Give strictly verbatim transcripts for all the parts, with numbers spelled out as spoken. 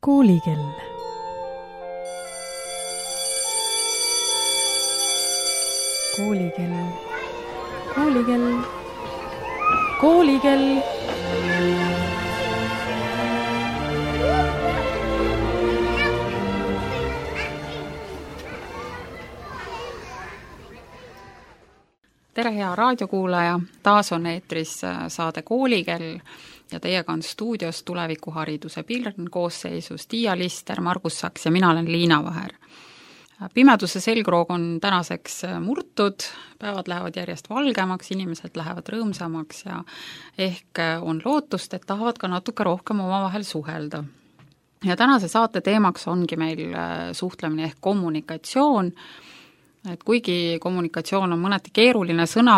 Koolikell. Koolikell. Koolikell. Koolikell. Tere, hea raadiokuulaja, taas on eetris saade Koolikell ja teiega on stuudios tulevikuhariduse Pilrn koosseisus Tiia Lister, Margus Saks ja mina olen Liina Vaher. Pimeduse selgroog on tänaseks murtud, päevad lähevad järjest valgemaks, inimesed lähevad rõõmsamaks ja ehk on lootust, et tahavad ka natuke rohkem omavahel suhelda. Ja tänase saate teemaks ongi meil suhtlemine ehk kommunikatsioon. Et kuigi kommunikatsioon on mõneti keeruline sõna,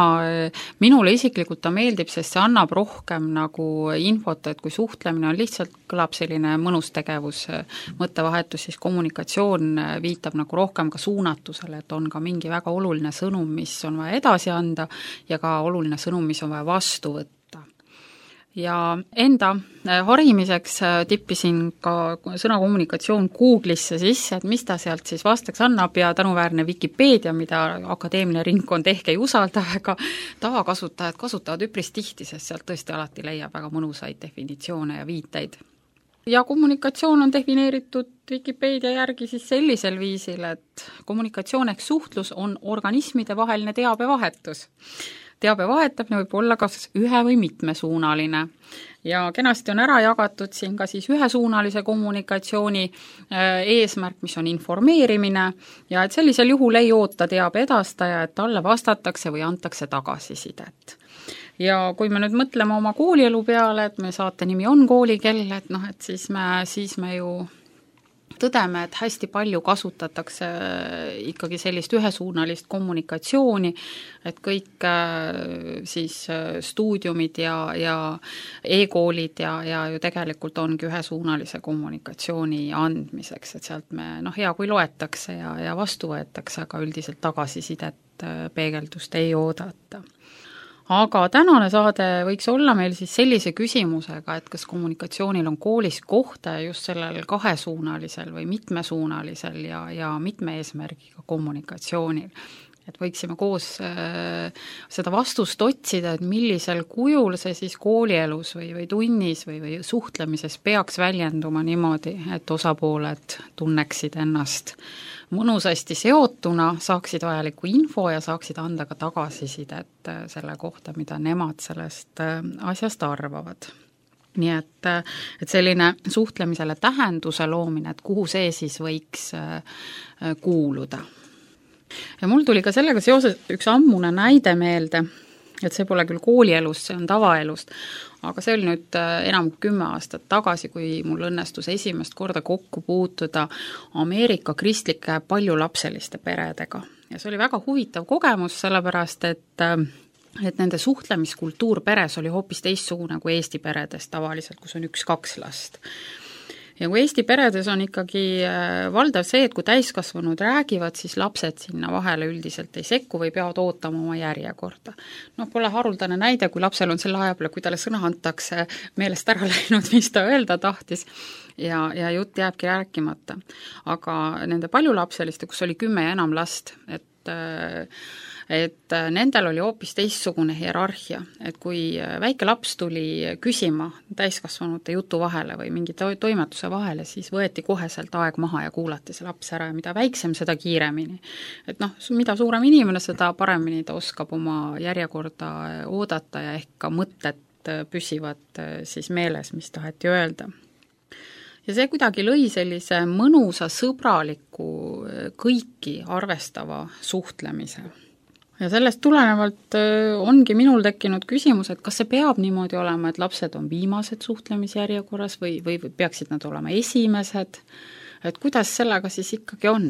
minule isiklikult ta meeldib, sest see annab rohkem nagu infot, et kui suhtlemine on lihtsalt, kõlab selline mõnus tegevus, mõttevahetus, siis kommunikatsioon viitab nagu rohkem ka suunatusele, et on ka mingi väga oluline sõnum, mis on vaja edasi anda ja ka oluline sõnum, mis on vaja vastu võtta. Ja enda harimiseks tippisin ka sõna kommunikatsioon Google'isse sisse, et mis ta sealt siis vastaks annab ja tänuväärne Wikipeedia, mida akadeemiline ringkond ehk ei usalda, aga tavakasutajad kasutavad üpris tihti, sest sealt tõesti alati leiab väga mõnusaid definitsioone ja viiteid. Ja kommunikatsioon on defineeritud Wikipeedia järgi siis sellisel viisil, et kommunikatsioon ehk suhtlus on organismide vaheline teabevahetus. Teabe vahetamine võib olla kas ühe- või mitmesuunaline ja kenasti on ära jagatud siin ka siis ühesuunalise kommunikatsiooni eesmärk, mis on informeerimine ja et sellisel juhul ei oota teabe edastaja, et talle vastatakse või antakse tagasisidet. Ja kui me nüüd mõtleme oma koolielu peale, et me saate nimi on Koolikell, et noh, et siis me, siis me ju tõdeme, et hästi palju kasutatakse ikkagi sellist ühesuunalist kommunikatsiooni, et kõik siis stuudiumid ja, ja e-koolid ja, ja ju tegelikult ongi ühesuunalise kommunikatsiooni andmiseks, et sealt me, noh, hea kui loetakse ja, ja vastu võetakse, aga üldiselt tagasisidet peegeldust ei oodata. Aga tänane saade võiks olla meil siis sellise küsimusega, et kas kommunikatsioonil on koolis kohta just sellel kahesuunalisel või mitmesuunalisel ja, ja mitme eesmärgiga kommunikatsioonil. Et võiksime koos äh, seda vastust otsida, et millisel kujul see siis koolielus või, või tunnis või, või suhtlemises peaks väljenduma niimoodi, et osapooled tunneksid ennast mõnusasti seotuna, saaksid vajalikku info ja saaksid anda ka tagasisidet selle kohta, mida nemad sellest asjast arvavad. Nii et, et selline suhtlemisele tähenduse loomine, et kuhu see siis võiks kuuluda. Ja mul tuli ka sellega seoses üks ammune näide meelde, et see pole küll koolielust, see on tavaelust, aga see oli nüüd enam kui kümme aastat tagasi, kui mul õnnestus esimest korda kokku puutuda Ameerika kristlike paljulapseliste peredega. Ja see oli väga huvitav kogemus, sellepärast, et, et nende suhtlemiskultuur peres oli hoopis teistsugune kui Eesti peredes tavaliselt, kus on üks-kaks last. Ja kui Eesti peredes on ikkagi valdav see, et kui täiskasvanud räägivad, siis lapsed sinna vahele üldiselt ei sekku või peavad ootama oma järjekorda. No pole haruldane näide, kui lapsel on selle aja peale, kui talle sõna antakse meelest ära läinud, mis ta öelda tahtis ja, ja jutt jääbki rääkimata. Aga nende paljulapseliste, kus oli kümme ja enam last, et et nendel oli hoopis teistsugune hierarhia, et kui väike laps tuli küsima täiskasvanute jutu vahele või mingi toimetuse vahele, siis võeti koheselt aeg maha ja kuulati see laps ära ja mida väiksem, seda kiiremini. Et noh, mida suurem inimene, seda paremini ta oskab oma järjekorda oodata ja ehk ka mõtted püsivad siis meeles, mis taheti öelda. Ja see kuidagi lõi sellise mõnusa, sõbraliku, kõiki arvestava suhtlemise. Ja sellest tulenevalt ongi minul tekkinud küsimus, et kas see peab niimoodi olema, et lapsed on viimased suhtlemisjärjekorras või, või, või peaksid nad olema esimesed, et kuidas sellega siis ikkagi on?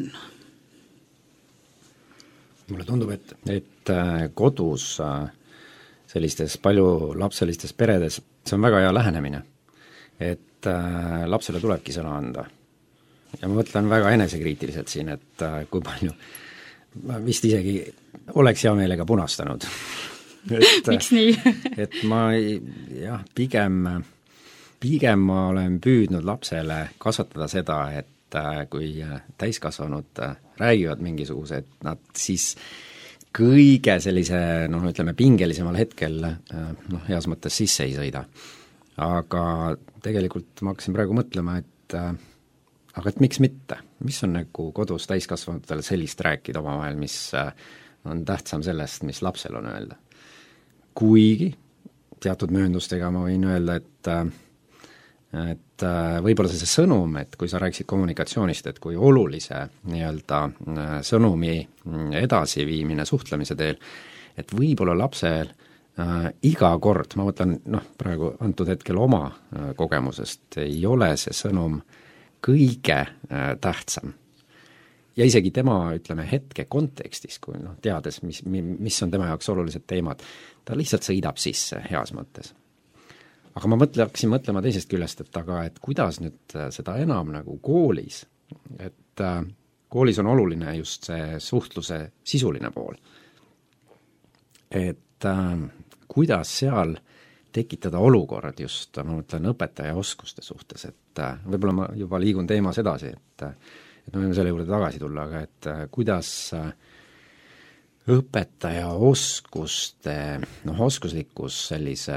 Mulle tundub, et, et kodus sellistes paljulapselistes peredes see on väga hea lähenemine, et lapsele tulebki sõna anda. Ja ma mõtlen väga enesekriitiliselt siin, et kui palju ma vist isegi oleks hea meelega punastanud. Et, miks nii? et ma jah, pigem pigem ma olen püüdnud lapsele kasvatada seda, et kui täiskasvanud räägivad mingisuguse, et nad siis kõige sellise, noh, ütleme pingelisemal hetkel noh, heas mõttes sisse ei sõida. Aga tegelikult ma hakkasin praegu mõtlema, et aga et miks mitte, mis on nagu kodus täiskasvanutele sellist rääkida omavahel, mis on tähtsam sellest, mis lapsel on öelda. Kuigi teatud mööndustega ma võin öelda, et et võib-olla see sõnum, et kui sa rääkisid kommunikatsioonist, et kui olulise nii-öelda sõnumi edasiviimine suhtlemise teel, et võib-olla lapsel äh, iga kord, ma mõtlen, noh, praegu antud hetkel oma äh, kogemusest, ei ole see sõnum kõige äh, tähtsam. Ja isegi tema, ütleme, hetke kontekstis, kui noh, teades, mis, mis on tema jaoks olulised teemad, ta lihtsalt sõidab sisse heas mõttes. Aga ma mõtle, hakkasin mõtlema teisest küljest, et aga et kuidas nüüd seda enam nagu koolis, et äh, koolis on oluline just see suhtluse sisuline pool. Et äh, kuidas seal tekitada olukorrad just, ma mõtlen, õpetaja oskuste suhtes, et äh, võib-olla ma juba liigun teemas edasi, et, et me võime selle juurde tagasi tulla, aga et äh, kuidas äh, õpetaja oskuste, noh, oskuslikkus sellise,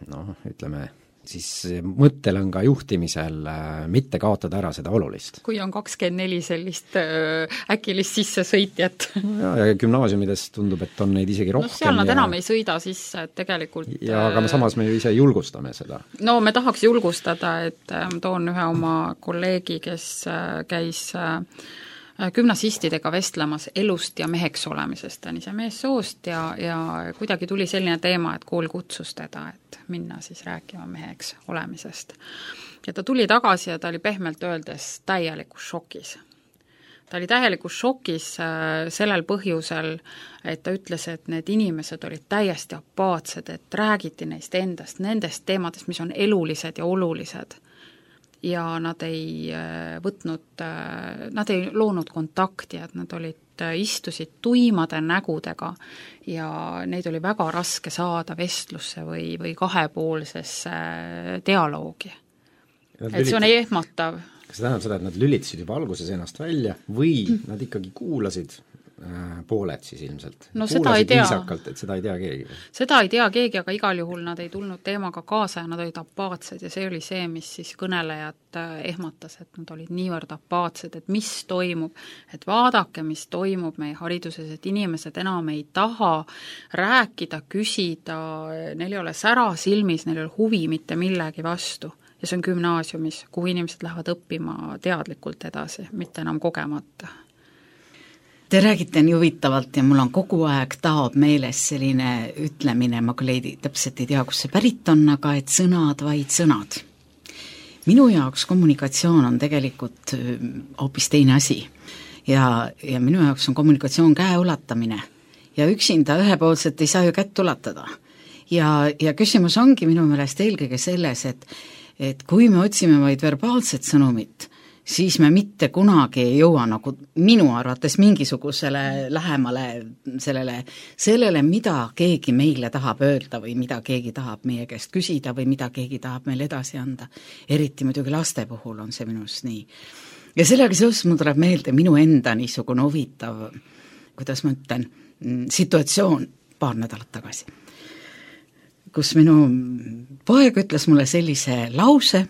noh, ütleme, siis mõttelõnga juhtimisel äh, mitte kaotada ära seda olulist. Kui on kakskümmend neli sellist äh, äkilist sissesõitjat. ja, ja gümnaasiumides tundub, et on neid isegi rohkem. No seal nad ja... enam ei sõida sisse, et tegelikult ja aga me samas me ju ise julgustame seda. No me tahaks julgustada, et äh, toon ühe oma kolleegi, kes äh, käis äh, gümnasistidega vestlemas elust ja meheks olemisest, ta on ise meessoost ja, ja kuidagi tuli selline teema, et kool kutsus teda, et minna siis rääkima meheks olemisest. Ja ta tuli tagasi ja ta oli pehmelt öeldes täielikus šokis. Ta oli täielikus šokis sellel põhjusel, et ta ütles, et need inimesed olid täiesti apaatsed, et räägiti neist endast, nendest teemadest, mis on elulised ja olulised. Ja nad ei võtnud, nad ei loonud kontakti, et nad olid, istusid tuimade nägudega ja neid oli väga raske saada vestlusse või, või kahepoolsesse dialoogi. Et see on ehmatav. Kas see tähendab seda, et nad lülitasid juba alguses ennast välja või nad ikkagi kuulasid pooled siis ilmselt? No seda ei tea. Viisakalt, et seda ei tea keegi? Seda ei tea keegi, aga igal juhul nad ei tulnud teemaga kaasa ja nad olid apaatsed ja see oli see, mis siis kõnelejad ehmatas, et nad olid niivõrd apaatsed, et mis toimub, et vaadake, mis toimub meie hariduses, et inimesed enam ei taha rääkida, küsida, neil ei ole sära silmis, neil ei ole huvi mitte millegi vastu. Ja see on gümnaasiumis, kuhu inimesed lähevad õppima teadlikult edasi, mitte enam kogemata. Te räägite nii huvitavalt ja mul on kogu aeg taob meeles selline ütlemine, ma küll ei, täpselt ei tea, kus see pärit on, aga et sõnad, vaid sõnad. Minu jaoks kommunikatsioon on tegelikult hoopis teine asi ja, ja minu jaoks on kommunikatsioon käe ulatamine ja üksinda ühepoolselt ei saa ju kätt ulatada. Ja, ja küsimus ongi minu meelest eelkõige selles, et, et kui me otsime vaid verbaalset sõnumit, siis me mitte kunagi ei jõua nagu minu arvates mingisugusele lähemale sellele, sellele, mida keegi meile tahab öelda või mida keegi tahab meie käest küsida või mida keegi tahab meile edasi anda. Eriti muidugi laste puhul on see minust nii. Ja sellega seoses mul tuleb meelde minu enda niisugune huvitav, kuidas ma ütlen, situatsioon paar nädalat tagasi, kus minu poeg ütles mulle sellise lause,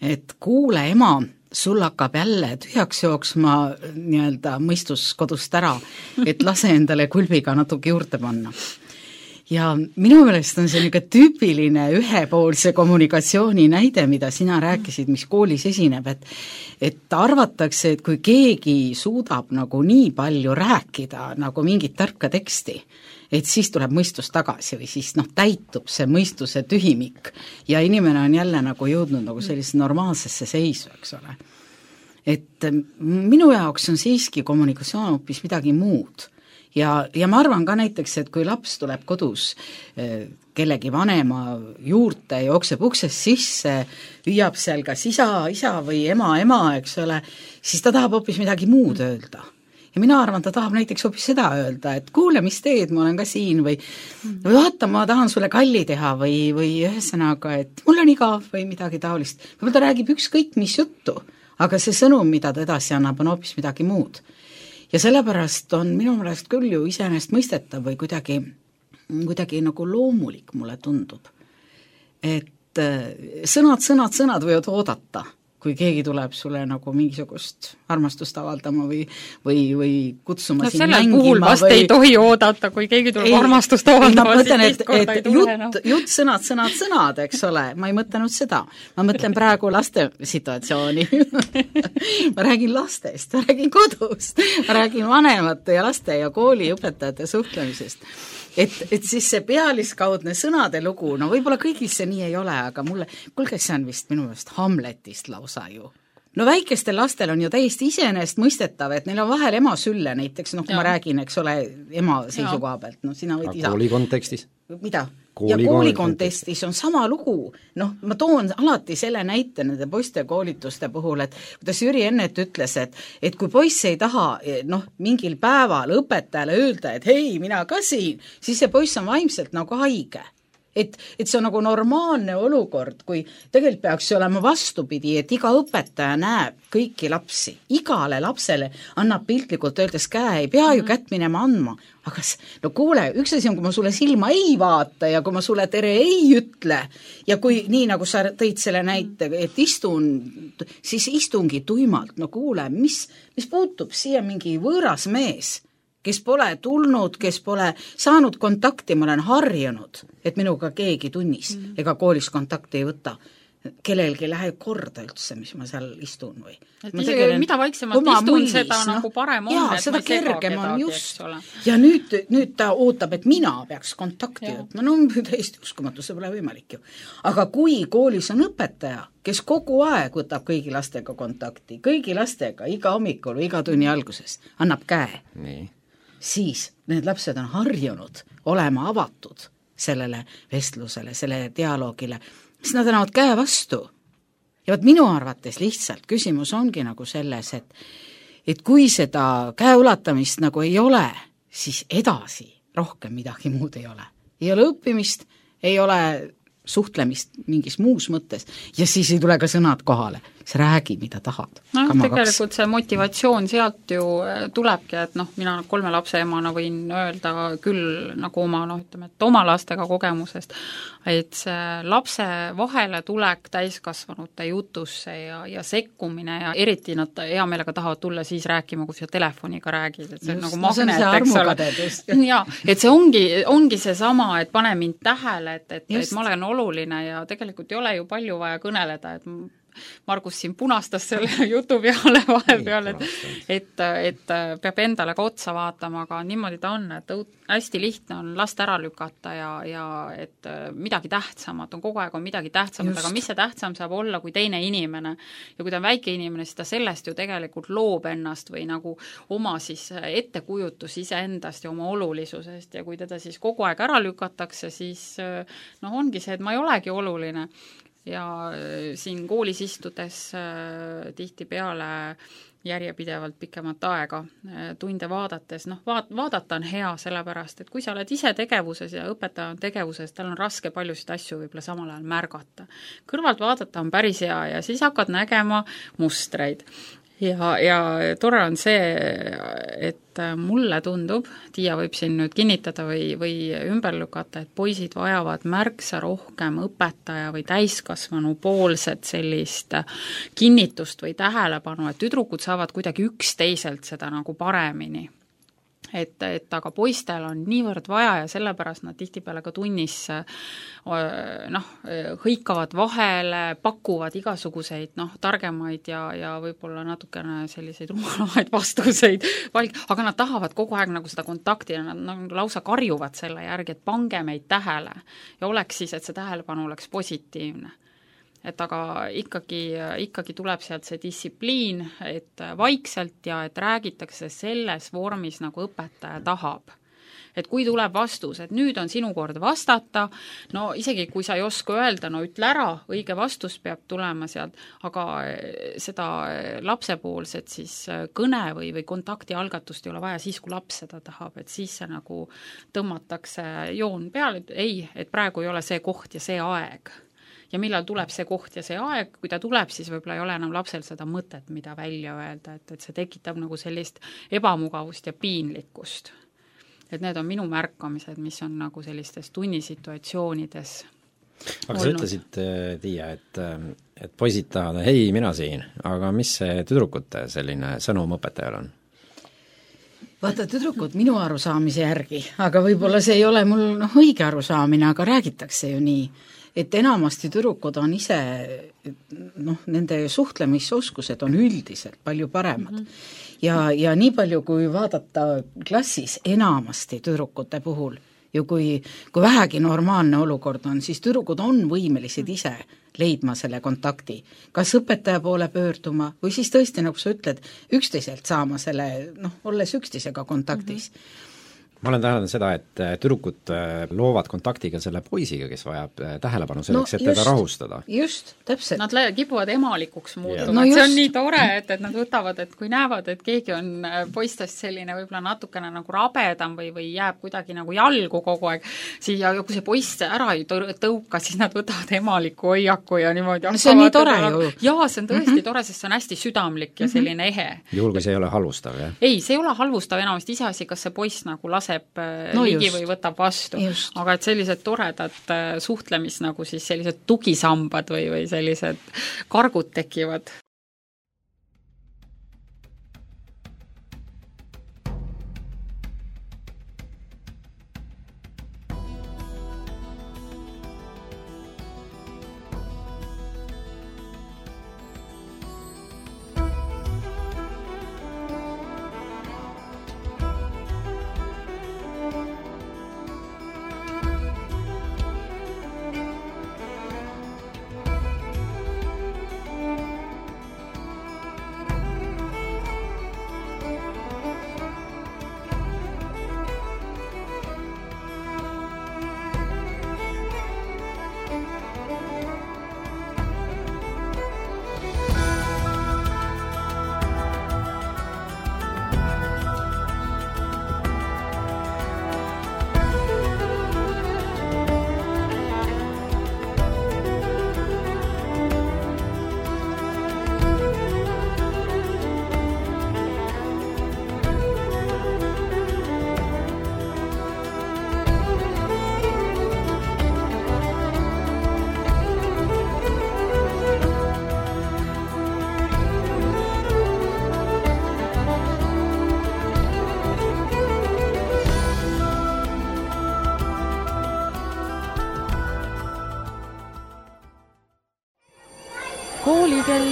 et kuule ema, sul hakkab jälle tühjaks jooksma nii-öelda mõistus kodust ära, et lase endale kulbiga natuke juurde panna. Ja minu meelest on see niisugune tüüpiline ühepoolse kommunikatsiooni näide, mida sina rääkisid, mis koolis esineb, et, et arvatakse, et kui keegi suudab nagu nii palju rääkida nagu mingit tarka teksti, et siis tuleb mõistus tagasi või siis noh, täitub see mõistuse tühimik ja inimene on jälle nagu jõudnud nagu sellise normaalsesse seisu, eks ole. Et minu jaoks on siiski kommunikatsioon hoopis midagi muud ja, ja ma arvan ka näiteks, et kui laps tuleb kodus kellegi vanema juurte, jookseb uksest sisse, hüüab seal kas isa, isa või ema, ema, eks ole, siis ta tahab hoopis midagi muud öelda. ja mina arvan, ta tahab näiteks hoopis seda öelda, et kuule, mis teed, ma olen ka siin või, või vaata, ma tahan sulle kalli teha või, või ühesõnaga, et mul on igav või midagi taolist. Võib-olla ta räägib ükskõik mis juttu, aga see sõnum, mida ta edasi annab, on hoopis midagi muud. Ja sellepärast on minu meelest küll ju iseenesest mõistetav või kuidagi, kuidagi nagu loomulik mulle tundub, et sõnad, sõnad, sõnad võivad oodata, kui keegi tuleb sulle nagu mingisugust armastust avaldama või, või, või kutsuma no, siin mängima. Sellel puhul vast või... ei tohi oodata, kui keegi tuleb ei, armastust avaldama, siis teist korda ei tule. Jutt, jutt, sõnad, sõnad, sõnad, eks ole, ma ei mõtlenud seda. Ma mõtlen praegu laste situatsiooni. ma räägin lastest, ma räägin kodust, ma räägin vanemate ja laste ja kooli õpetajate suhtlemisest. Et, et siis see pealiskaudne sõnade lugu, no võib-olla kõigil see nii ei ole, aga mulle, kuulge, see on vist minu meelest Hamletist lausa ju. No väikestel lastel on ju täiesti iseenesest mõistetav, et neil on vahel ema sülle näiteks, noh kui ja. ma räägin, eks ole, ema seisukoha pealt, no sina võid isa. Kooli kontekstis? Mida? Kooli ja kooli kontestis on sama lugu, noh, ma toon alati selle näite nende poiste koolituste puhul, et kuidas Jüri Ennet ütles, et, et kui poiss ei taha, noh, mingil päeval õpetajale öelda, et hei, mina ka siin, siis see poiss on vaimselt nagu haige. Et, et see on nagu normaalne olukord, kui tegelikult peaks olema vastupidi, et iga õpetaja näeb kõiki lapsi, igale lapsele annab piltlikult öeldes käe, ei pea ju kätt minema andma, aga no kuule, üks asi on, kui ma sulle silma ei vaata ja kui ma sulle tere ei ütle ja kui nii, nagu sa tõid selle näite, et istun, siis istungi tuimalt, no kuule, mis, mis puutub siia mingi võõras mees, kes pole tulnud, kes pole saanud kontakti, ma olen harjunud, et minuga keegi tunnis mm. ega koolis kontakti ei võta. Kellelgi läheb korda üldse, mis ma seal istun või. Et isegi mida vaiksemalt istun, mullis, seda no, nagu parem on, jaa, et seda ma ei sega kedagi, just. Ole. Ja nüüd, nüüd ta ootab, et mina peaks kontakti võtma, no täiesti uskumatu, see pole võimalik ju. Aga kui koolis on õpetaja, kes kogu aeg võtab kõigi lastega kontakti, kõigi lastega, iga hommikul või iga tunni alguses, annab käe. Nii. Siis need lapsed on harjunud olema avatud sellele vestlusele, sellele dialoogile, siis nad annavad käe vastu. Ja võt minu arvates lihtsalt küsimus ongi nagu selles, et, et kui seda käeulatamist nagu ei ole, siis edasi rohkem midagi muud ei ole. Ei ole õppimist, ei ole suhtlemist mingis muus mõttes ja siis ei tule ka sõnad kohale, see räägi, mida tahad. No tegelikult see motivatsioon sealt ju tulebki, et noh, mina kolme lapse emana võin öelda küll nagu oma, noh ütleme, et oma lastega kogemusest, et see lapse vahele tulek täiskasvanute jutusse ja, ja sekkumine ja eriti nad hea meelega tahavad tulla siis rääkima, kui sa telefoniga räägid, et see on nagu magnet, eks ole. Ja, et see ongi, ongi see sama, et pane mind tähele, et, et, et ma olen oluline ja tegelikult ei ole ju palju vaja kõneleda, et Margus siin punastas selle jutu peale vahepeal, et, et, et peab endale ka otsa vaatama, aga niimoodi ta on, et hästi lihtne on last ära lükata ja, ja et midagi tähtsamat on, kogu aeg on midagi tähtsamat, aga mis see tähtsam saab olla kui teine inimene ja kui ta on väike inimene, siis ta sellest ju tegelikult loob ennast või nagu oma siis ettekujutus iseendast ja oma olulisusest ja kui teda siis kogu aeg ära lükatakse, siis noh, ongi see, et ma ei olegi oluline. Ja siin koolis istudes äh, tihti peale järjepidevalt pikemat aega äh, tunde vaadates, noh vaat, vaadata on hea sellepärast, et kui sa oled ise tegevuses ja õpetaja on tegevuses, tal on raske paljusid asju võib-olla samal ajal märgata. Kõrvalt vaadata on päris hea ja siis hakkad nägema mustreid. Ja, ja tore on see, et mulle tundub, Tiia võib siin nüüd kinnitada või, või ümber lükata, et poisid vajavad märksa rohkem õpetaja või täiskasvanu poolset sellist kinnitust või tähelepanu, et tüdrukud saavad kuidagi üksteiselt seda nagu paremini. Et, et aga poistel on niivõrd vaja ja sellepärast nad tihtipeale ka tunnis noh, hõikavad vahele, pakuvad igasuguseid noh, targemaid ja, ja võib-olla natukene selliseid rumalamaid vastuseid, aga nad tahavad kogu aeg nagu seda kontakti ja nad nagu lausa karjuvad selle järgi, et pange meid tähele ja oleks siis, et see tähelepanu oleks positiivne. Et aga ikkagi, ikkagi tuleb sealt see distsipliin, et vaikselt ja et räägitakse selles vormis, nagu õpetaja tahab. et kui tuleb vastus, et nüüd on sinu kord vastata, no isegi kui sa ei oska öelda, no ütle ära, õige vastus peab tulema sealt, aga seda lapsepoolset siis kõne või, või kontakti algatust ei ole vaja siis, kui laps seda tahab, et siis see nagu tõmmatakse joon peale, et ei, et praegu ei ole see koht ja see aeg. Ja millal tuleb see koht ja see aeg, kui ta tuleb, siis võib-olla ei ole enam lapsel seda mõtet, mida välja öelda, et, et see tekitab nagu sellist ebamugavust ja piinlikkust. Et need on minu märkamised, mis on nagu sellistes tunnisituatsioonides aga olnud. Sa ütlesid, Tiia, et, et poisid tahavad, hei, mina siin, aga mis see tüdrukute selline sõnum õpetajal on? Vaata, tüdrukud minu arusaamise järgi, aga võib-olla see ei ole mul noh, õige arusaamine, aga räägitakse ju nii, et enamasti tüdrukud on ise, noh, nende suhtlemisoskused on üldiselt palju paremad. Mm -hmm. ja, ja nii palju, kui vaadata klassis enamasti tüdrukute puhul, ju kui, kui vähegi normaalne olukord on, siis tüdrukud on võimelised ise leidma selle kontakti, kas õpetaja poole pöörduma või siis tõesti, nagu sa ütled, üksteiselt saama selle, noh, olles üksteisega kontaktis. Mm-hmm. ma olen täheldanud seda, et tüdrukud loovad kontaktiga selle poisiga, kes vajab tähelepanu selleks, no, et teda rahustada. Just, täpselt. Nad kipuvad emalikuks muutuma, no et see on nii tore, et, et nad võtavad, et kui näevad, et keegi on poistest selline võib-olla natukene nagu rabedam või, või jääb kuidagi nagu jalgu kogu aeg, siis ja kui see poiss ära ei tõuka, siis nad võtavad emaliku hoiaku ja niimoodi no see on nii tore ju. Jaa, see on tõesti mm-hmm. tore, sest see on hästi südamlik ja selline ehe. Juhul, kui see ei ole halvustav, jah? Ei, see ei ole halvustav enamasti iseasi, kas see poiss nagu laseb no ligi just. Või võtab vastu. Just. Aga et sellised toredad suhtlemis nagu siis sellised tugisambad või, või sellised kargud tekivad. Koolikell.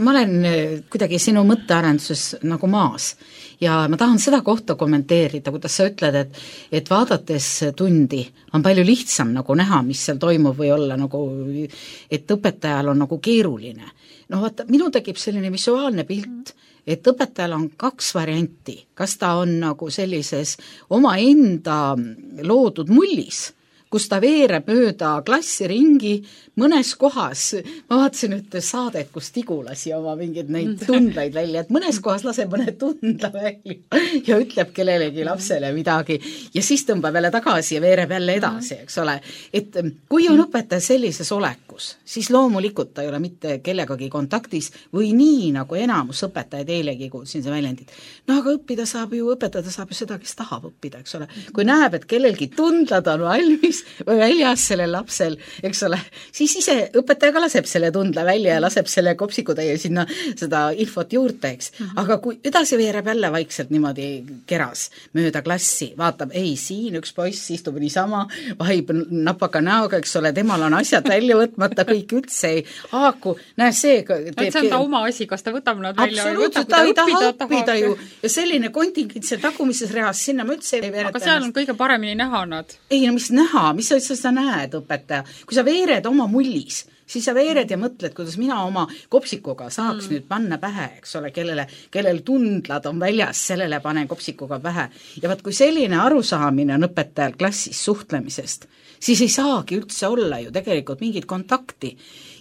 Ma olen kuidagi sinu mõttearenduses nagu maas ja ma tahan seda kohta kommenteerida, kuidas sa ütled, et, et vaadates tundi on palju lihtsam nagu näha, mis seal toimub või olla nagu, et õpetajal on nagu keeruline. No vaata, minu tekib selline visuaalne pilt, et õpetajal on kaks varianti, kas ta on nagu sellises oma enda loodud mullis, kus ta veereb mööda klassi ringi mõnes kohas, ma vaatasin ühte saadet, kus Tigu lasi oma mingeid neid tundlaid välja, et mõnes kohas laseb mõne tundla välja ja ütleb kellelegi lapsele midagi ja siis tõmbab jälle tagasi ja veereb jälle edasi, eks ole. Et kui on õpetaja sellises olekus, siis loomulikult ta ei ole mitte kellegagi kontaktis või nii, nagu enamus õpetajaid eilegi kuulsin see väljendid. No aga õppida saab ju, õpetada saab ju seda, kes tahab õppida, eks ole. Kui näeb, et kellelgi tundlad on valmis või väljas sellel lapsel, eks ole, siis ise õpetaja ka laseb selle tundla välja ja laseb selle kopsikutäie sinna seda infot juurde, eks. Aga kui edasi veereb jälle vaikselt niimoodi keras mööda klassi, vaatab, ei, siin üks poiss istub niisama, vahib napaka näoga, eks ole, temal on asjad välja võtmata, kõik üldse ei haaku, näe see teeb... see on ta oma asi, kas ta võtab nad välja või võtab, ta ei taha õppida ju ja selline kontingent seal tagumises reas, sinna ma üldse ei veereta. Aga seal on kõige paremini näha nad. Ei, no mis näha, oma, mis sa, sa näed, õpetaja, kui sa veered oma mullis, siis sa veered ja mõtled, kuidas mina oma kopsikuga saaks mm. nüüd panna pähe, eks ole, kellele, kellel tundlad on väljas, sellele panen kopsikuga pähe. Ja vaat kui selline arusaamine on õpetajal klassis suhtlemisest, siis ei saagi üldse olla ju tegelikult mingit kontakti.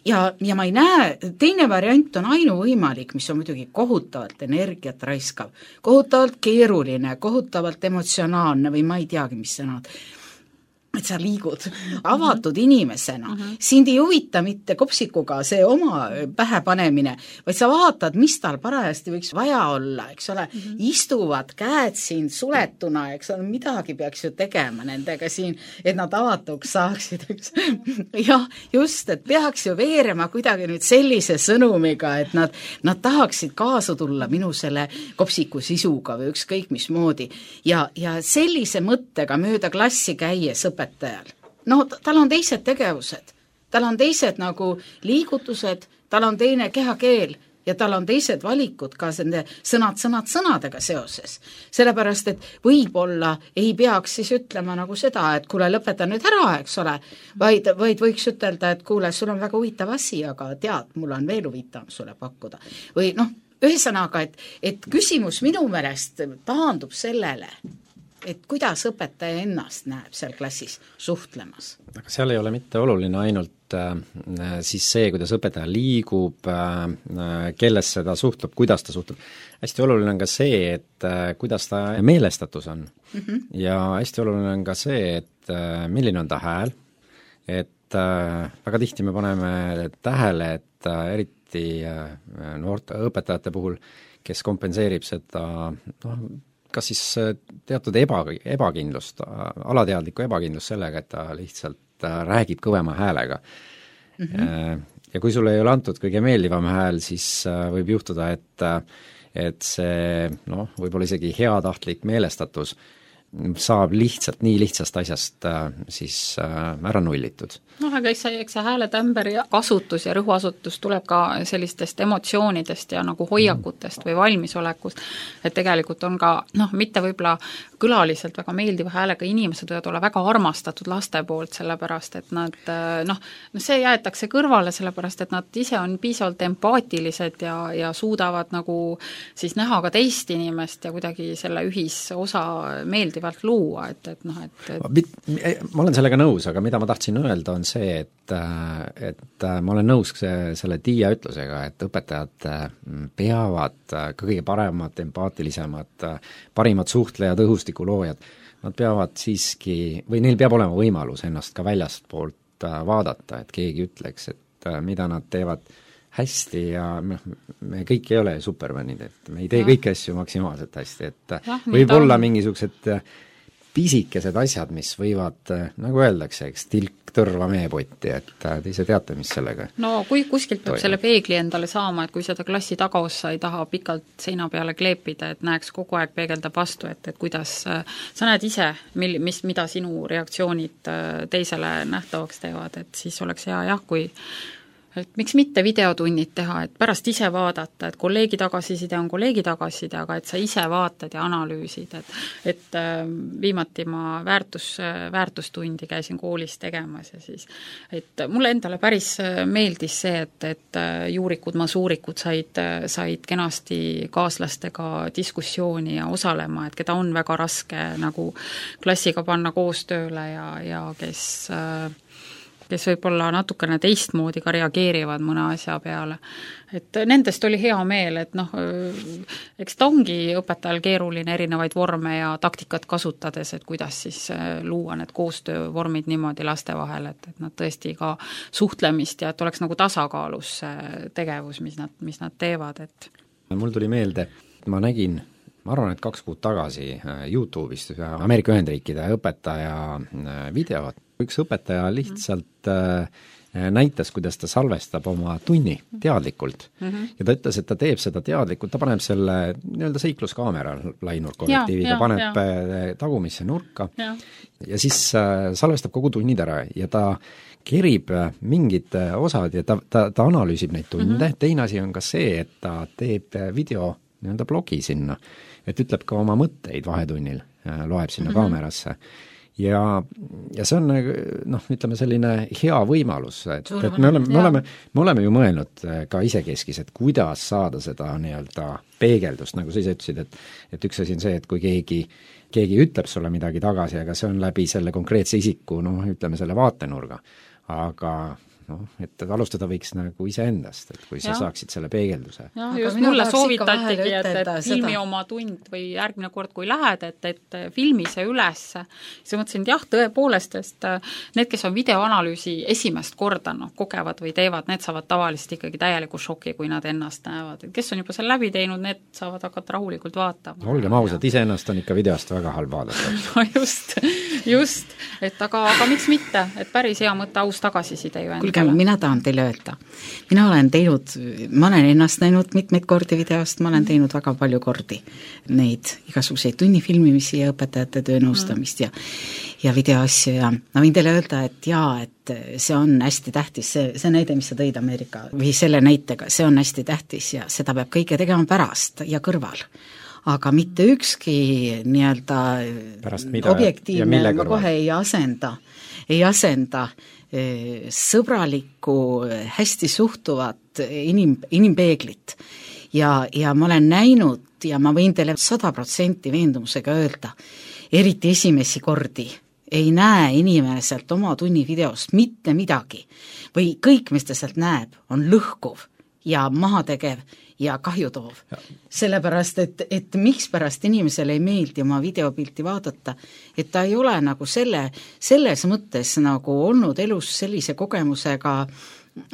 Ja, ja ma ei näe, teine variant on ainuvõimalik, mis on muidugi kohutavalt energiat raiskav, kohutavalt keeruline, kohutavalt emotsionaalne või ma ei teagi, mis sõnad. Et sa liigud avatud uh-huh. inimesena. Uh-huh. Sind ei huvita mitte kopsikuga see oma pähe panemine, vaid sa vaatad, mis tal parajasti võiks vaja olla, eks ole. Uh-huh. Istuvad käed siin suletuna, eks ole, midagi peaks ju tegema nendega siin, et nad avatuks saaksid, eks. Jah, just, et peaks ju veerema kuidagi nüüd sellise sõnumiga, et nad, nad tahaksid kaasa tulla minu selle kopsiku sisuga või ükskõik mismoodi. Ja, ja sellise mõttega mööda klassi käies õpetajal. No tal on teised tegevused, tal on teised nagu liigutused, tal on teine kehakeel ja tal on teised valikud ka nende sõnad, sõnad, sõnadega seoses. Sellepärast, et võib-olla ei peaks siis ütlema nagu seda, et kuule, lõpeta nüüd ära, eks ole, vaid, vaid võiks ütelda, et kuule, sul on väga huvitav asi, aga tead, mul on veel huvitav sulle pakkuda. Või noh, ühesõnaga, et, et küsimus minu meelest taandub sellele, et kuidas õpetaja ennast näeb seal klassis suhtlemas? Aga seal ei ole mitte oluline ainult äh, siis see, kuidas õpetaja liigub äh,, kellesse ta suhtleb, kuidas ta suhtleb. Hästi oluline on ka see, et äh, kuidas ta meelestatus on. Mm-hmm. Ja hästi oluline on ka see, et äh, milline on ta hääl, et äh, väga tihti me paneme tähele, et äh, eriti äh, noorte õpetajate puhul, kes kompenseerib seda noh, kas siis teatud eba, ebakindlust, alateadlikku ebakindlust sellega, et ta lihtsalt räägib kõvema häälega. Mm-hmm. Ja kui sulle ei ole antud kõige meeldivam hääl, siis võib juhtuda, et, et see noh, võib-olla isegi heatahtlik meelestatus saab lihtsalt nii lihtsast asjast äh, siis äh, ära nullitud. Noh, aga eks see, eks see hääletämber ja kasutus ja rõhuasutus tuleb ka sellistest emotsioonidest ja nagu hoiakutest või valmisolekust, et tegelikult on ka, noh, mitte võib-olla külaliselt väga meeldiva häälega inimesed võivad olla väga armastatud laste poolt, sellepärast et nad noh, see jäetakse kõrvale, sellepärast et nad ise on piisavalt empaatilised ja, ja suudavad nagu siis näha ka teist inimest ja kuidagi selle ühisosa meeldivalt luua, et, et noh, et, et ma olen sellega nõus, aga mida ma tahtsin öelda, on see, et, et ma olen nõus selle Tiia ütlusega, et õpetajad peavad ka kõige paremad, empaatilisemad, parimad suhtlejad, õhustikuloojad, nad peavad siiski, või neil peab olema võimalus ennast ka väljastpoolt vaadata, et keegi ütleks, et mida nad teevad hästi ja me kõik ei ole supermanid, et me ei tee ja. kõiki asju maksimaalselt hästi, et ja, võib-olla on mingisugused pisikesed asjad, mis võivad, nagu öeldakse, eks, tilk tõrva meepotti, et te ise teate, mis sellega no kui kuskilt peab toimub. Selle peegli endale saama, et kui seda klassi tagaossa ei taha pikalt seina peale kleepida, et näeks kogu aeg peegeldab vastu, et, et kuidas sa näed ise, mil, mis, mida sinu reaktsioonid teisele nähtavaks teevad, et siis oleks hea jah, kui et miks mitte videotunnid teha, et pärast ise vaadata, et kolleegi tagasiside on kolleegi tagasiside, aga et sa ise vaatad ja analüüsid, et, et viimati ma väärtus, väärtustundi käisin koolis tegemas ja siis, et mulle endale päris meeldis see, et, et juurikud, masuurikud said, said kenasti kaaslastega diskussiooni ja osalema, et keda on väga raske nagu klassiga panna koostööle ja, ja kes kes võib-olla natukene teistmoodi ka reageerivad mõne asja peale. Et nendest oli hea meel, et noh, eks ta ongi õpetajal keeruline erinevaid vorme ja taktikat kasutades, et kuidas siis luua need koostöövormid niimoodi laste vahel, et, et nad tõesti ka suhtlemist ja et oleks nagu tasakaalus tegevus, mis nad, mis nad teevad. Et mul tuli meelde, ma nägin, ma arvan, et kaks kuud tagasi YouTube'ist Ameerika Ühendriikide õpetaja videot. Üks õpetaja lihtsalt äh, näitas, kuidas ta salvestab oma tunni teadlikult mm-hmm. ja ta ütles, et ta teeb seda teadlikult, ta paneb selle nii-öelda seikluskaamera lainurkollektiiviga, paneb ja. tagumisse nurka ja, ja siis äh, salvestab kogu tunnid ära ja ta kerib mingid osad ja ta, ta, ta analüüsib neid tunde mm-hmm. teine asi on ka see, et ta teeb video nii-öelda blogi sinna, et ütleb ka oma mõtteid vahetunnil, loeb sinna mm-hmm. kaamerasse. ja, ja see on noh, ütleme selline hea võimalus, et, et me oleme, me oleme, me oleme ju mõelnud ka isekeskis, et kuidas saada seda nii-öelda peegeldust, nagu sa ise ütlesid, et et üks asi on see, et kui keegi keegi ütleb sulle midagi tagasi, aga see on läbi selle konkreetse isiku, noh, ütleme selle vaatenurga. Aga noh, et alustada võiks nagu iseendast, et kui sa ja. saaksid selle peegelduse. jah, just mulle soovitatigi, et, et filmi seda. oma tund või järgmine kord, kui lähed, et, et filmi see üles. siis mõtlesin, et jah, tõepoolest, et need, kes on videoanalüüsi esimest korda noh, kogevad või teevad, need saavad tavaliselt ikkagi täieliku šoki, kui nad ennast näevad. Et kes on juba selle läbi teinud, need saavad hakata rahulikult vaatama. No, olgem ausad, iseennast on ikka videost väga halb vaadata. no just, just, et aga, aga miks mitte, et päris hea mõte aus tagasiside ju endale. mina tahan teile öelda, mina olen teinud, ma olen ennast näinud mitmeid kordi videost, ma olen teinud väga palju kordi neid igasuguseid tunnifilmimisi ja õpetajate töönõustamist ja, ja videoasju ja ma võin teile öelda, et jaa, et see on hästi tähtis, see, see näide, mis sa tõid Ameerika või selle näitega, see on hästi tähtis ja seda peab kõike tegema pärast ja kõrval. Aga mitte ükski nii-öelda objektiivne ma kohe ei asenda, ei asenda sõbralikku, hästi suhtuvat inim, inimpeeglit. Ja, ja ma olen näinud ja ma võin teile sada protsenti veendumusega öelda, eriti esimesi kordi ei näe inimeselt oma tunni videost mitte midagi või kõik, mis ta sealt näeb, on lõhkuv ja mahategev ja kahjutoov. Sellepärast, et, et miks pärast inimesele ei meeldi oma videopilti vaadata, et ta ei ole nagu selle, selles mõttes nagu olnud elus sellise kogemusega,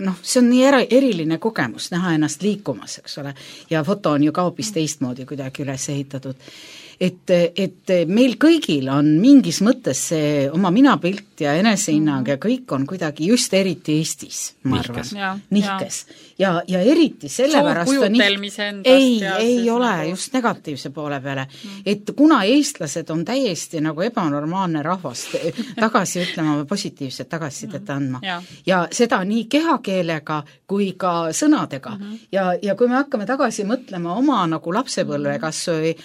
noh, see on nii era, eriline kogemus, näha ennast liikumas, eks ole, ja foto on ju ka hoopis teistmoodi kuidagi üles ehitatud. Et, et meil kõigil on mingis mõttes see oma minapilt ja enesehinnang ja kõik on kuidagi just eriti Eestis, ma arvan, nihkes. Ja, ja eriti sellepärast on endast, ei, ei ole nagu... just negatiivse poole peale, mm. et kuna eestlased on täiesti nagu ebanormaalne rahvast tagasi ütlema või positiivset tagasisidet andma mm. ja. ja seda nii kehakeelega kui ka sõnadega mm-hmm. ja, ja kui me hakkame tagasi mõtlema oma nagu lapsepõlve kas või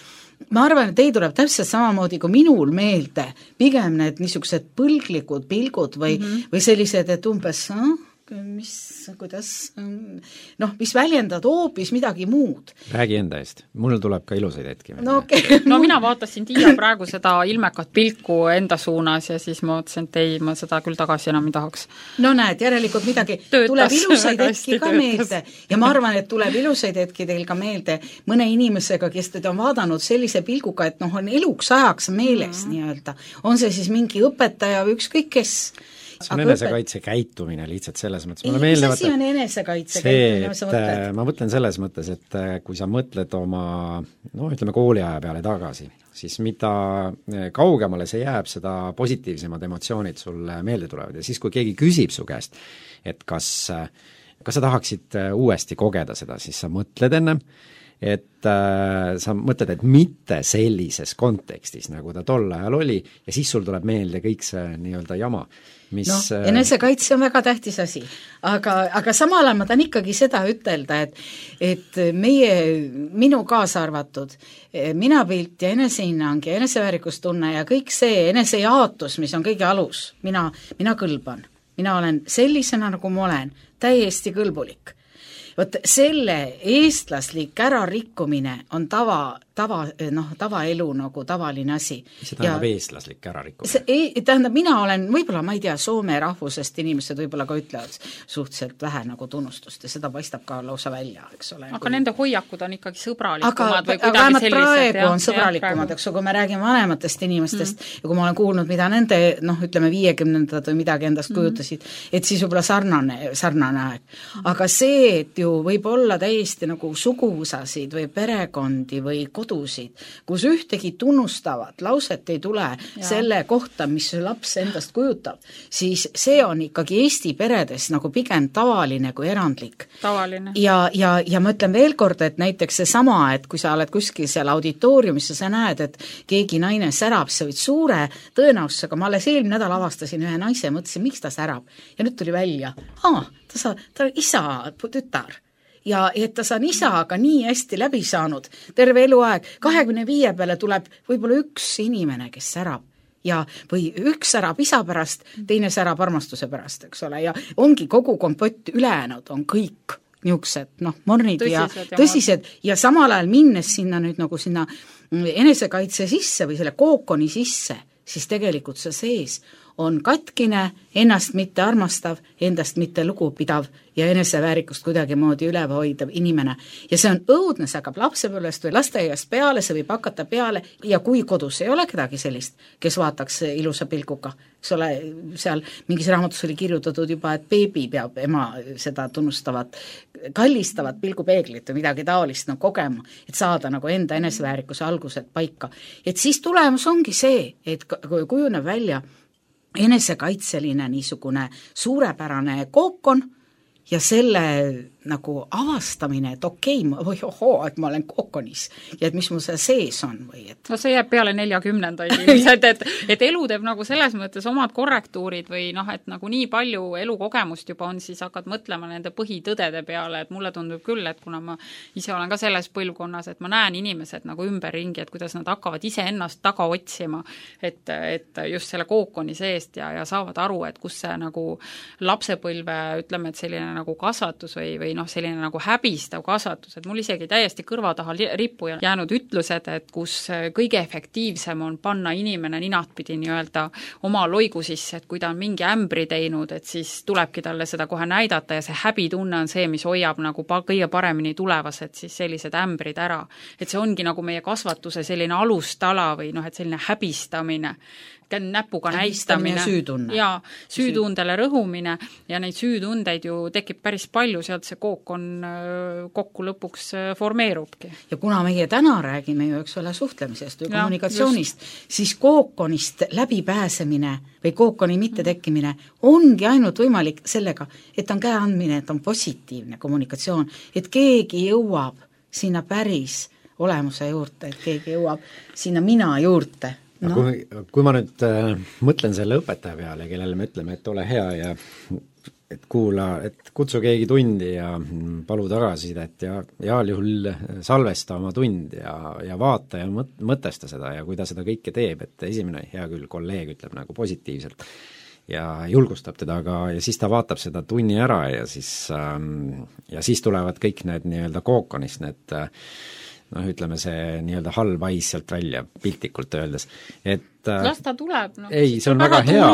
ma arvan, et ei tuleb täpselt samamoodi kui minul meelde pigem need niisugused põlglikud pilgud või, mm-hmm. või sellised, et umbes no, mis, kuidas noh, mis väljendad hoopis midagi muud. Räägi enda eest, mul tuleb ka ilusaid hetki. No, okay. no mina vaatasin Tiia praegu seda ilmekat pilku enda suunas ja siis ma mõtlesin, et ei, ma seda küll tagasi enam ei tahaks. No näed, järelikult midagi töötas, tuleb ilusaid hetki ka töötas. Meelde ja ma arvan, et tuleb ilusaid hetki teil ka meelde mõne inimesega, kes teda on vaadanud sellise pilguga, et noh, on eluks ajaks meeles mm. nii-öelda. On see siis mingi õpetaja või ükskõik kes. See on enesekaitse käitumine lihtsalt selles mõttes. Ei, mis asi on enesekaitse käitumine, sa mõtled? Ma mõtlen selles mõttes, et kui sa mõtled oma, no ütleme kooliaja peale tagasi, siis mida kaugemale see jääb, seda positiivsemad emotsioonid sulle meelde tulevad ja siis, kui keegi küsib su käest, et kas, kas sa tahaksid uuesti kogeda seda, siis sa mõtled ennem, et äh, sa mõtled, et mitte sellises kontekstis, nagu ta tol ajal oli ja siis sul tuleb meelde kõik see nii-öelda jama. Mis, no, enesekaitse on väga tähtis asi, aga, aga samal ajal ma tahan ikkagi seda ütelda, et, et meie, minu kaasa arvatud, minapilt ja enesehinnang ja eneseväärikustunne ja kõik see enesejaatus, mis on kõige alus, mina, mina kõlban, mina olen sellisena, nagu ma olen, täiesti kõlbulik. Vot selle eestlaslik ärarikkumine on tava, tava, noh, tavaelu nagu tavaline asi. See tähendab ja eestlaslik ärarikkumine? See, tähendab, mina olen, võib-olla ma ei tea, Soome rahvusest inimesed võib-olla ka ütlevad suhteliselt vähe nagu tunnustust ja seda paistab ka lausa välja, eks ole. Aga kui... nende hoiakud on ikkagi sõbralikumad aga, või kuidagi sellised? Praegu ja, on sõbralikumad, eks kui me räägime vanematest inimestest mm. ja kui ma olen kuulnud, mida nende, noh, ütleme viiekümnendad või midagi endast mm. kujutasid, et siis võib-olla sarnane, sarnane aeg. Mm. Aga see, et ju võib olla täiesti nagu suguvõsasid või perekondi või kodusid, kus ühtegi tunnustavat lauset ei tule ja. Selle kohta, mis laps endast kujutab, siis see on ikkagi Eesti peredes nagu pigem tavaline kui erandlik. Tavaline. Ja, ja, ja ma ütlen veel kord, et näiteks see sama, et kui sa oled kuskil seal auditooriumis ja sa näed, et keegi naine särab, see võid suure tõenäosusega, ma alles eelmine nädal avastasin ühe naise, mõtlesin, miks ta särab ja nüüd tuli välja, aa, ta, sa, ta isa, tütar ja et ta on isaga nii hästi läbi saanud terve eluaeg, kahekümne viie peale tuleb võib-olla üks inimene, kes särab ja või üks särab isa pärast, teine särab armastuse pärast, eks ole, ja ongi kogu kompott ülejäänud on kõik niisugused, noh, mornid tõsised ja, ja tõsised ja samal ajal minnes sinna nüüd nagu sinna enesekaitse sisse või selle kookoni sisse, siis tegelikult see sees on katkine, ennast mitte armastav, endast mitte lugupidav ja eneseväärikust kuidagi moodi üleval hoidav inimene. Ja see on õudne, see hakkab lapsepõlvest või lasteaiast peale, see võib hakata peale ja kui kodus ei ole kedagi sellist, kes vaataks ilusa pilguga, eks ole, seal mingis raamatus oli kirjutatud juba, et beebi peab ema seda tunnustavat, kallistavat pilgupeeglit või midagi taolist no, kogema, et saada nagu enda eneseväärikuse algused paika. Et siis tulemus ongi see, et kui kujuneb välja enesekaitseline niisugune suurepärane kookon ja selle nagu avastamine, et okei okay,, või ohoo, et ma olen kookonis ja et mis mul see sees on või et no see jääb peale neljakümnendaid ilmselt, et, et elu teeb nagu selles mõttes omad korrektuurid või noh, et nagu nii palju elukogemust juba on, siis hakkad mõtlema nende põhitõdede peale, et mulle tundub küll, et kuna ma ise olen ka selles põlvkonnas, et ma näen inimesed nagu ümberringi, et kuidas nad hakkavad ise ennast taga otsima, et, et just selle kookoni seest ja, ja saavad aru, et kus see nagu lapsepõlve, ütleme, et selline nagu kasvatus või, või noh, selline nagu häbistav kasvatus, et mul isegi täiesti kõrva taha rippu jäänud ütlused, et kus kõige efektiivsem on panna inimene ninatpidi nii-öelda oma loigu sisse, et kui ta on mingi ämbri teinud, et siis tulebki talle seda kohe näidata ja see häbitunne on see, mis hoiab nagu kõige paremini tulevased siis sellised ämbrid ära. Et see ongi nagu meie kasvatuse selline alustala või noh, et selline häbistamine, näpuga näistamine süütunne. ja süütundele rõhumine ja neid süütundeid ju tekib päris palju, sealt see kookon kokku lõpuks formeerubki. Ja kuna meie täna räägime ju, eks ole, suhtlemisest või ja, kommunikatsioonist, just. Siis kookonist läbipääsemine või kookoni mittetekkimine ongi ainult võimalik sellega, et on käe andmine, et on positiivne kommunikatsioon, et keegi jõuab sinna päris olemuse juurde, et keegi jõuab sinna mina juurde. No. Kui, kui ma nüüd äh, mõtlen selle õpetaja peale, kellele me ütleme, et ole hea ja et kuula, et kutsu keegi tundi ja palu tagasisidet ja heal juhul salvesta oma tund ja, ja vaata ja mõt, mõtesta seda ja kui ta seda kõike teeb, et esimene hea küll kolleeg ütleb nagu positiivselt ja julgustab teda ka ja siis ta vaatab seda tunni ära ja siis, ähm, ja siis tulevad kõik need nii-öelda kookonist, need äh, noh, ütleme see nii-öelda halb hais sealt välja, piltlikult öeldes, et las ta tuleb, no. ei, see on väga hea.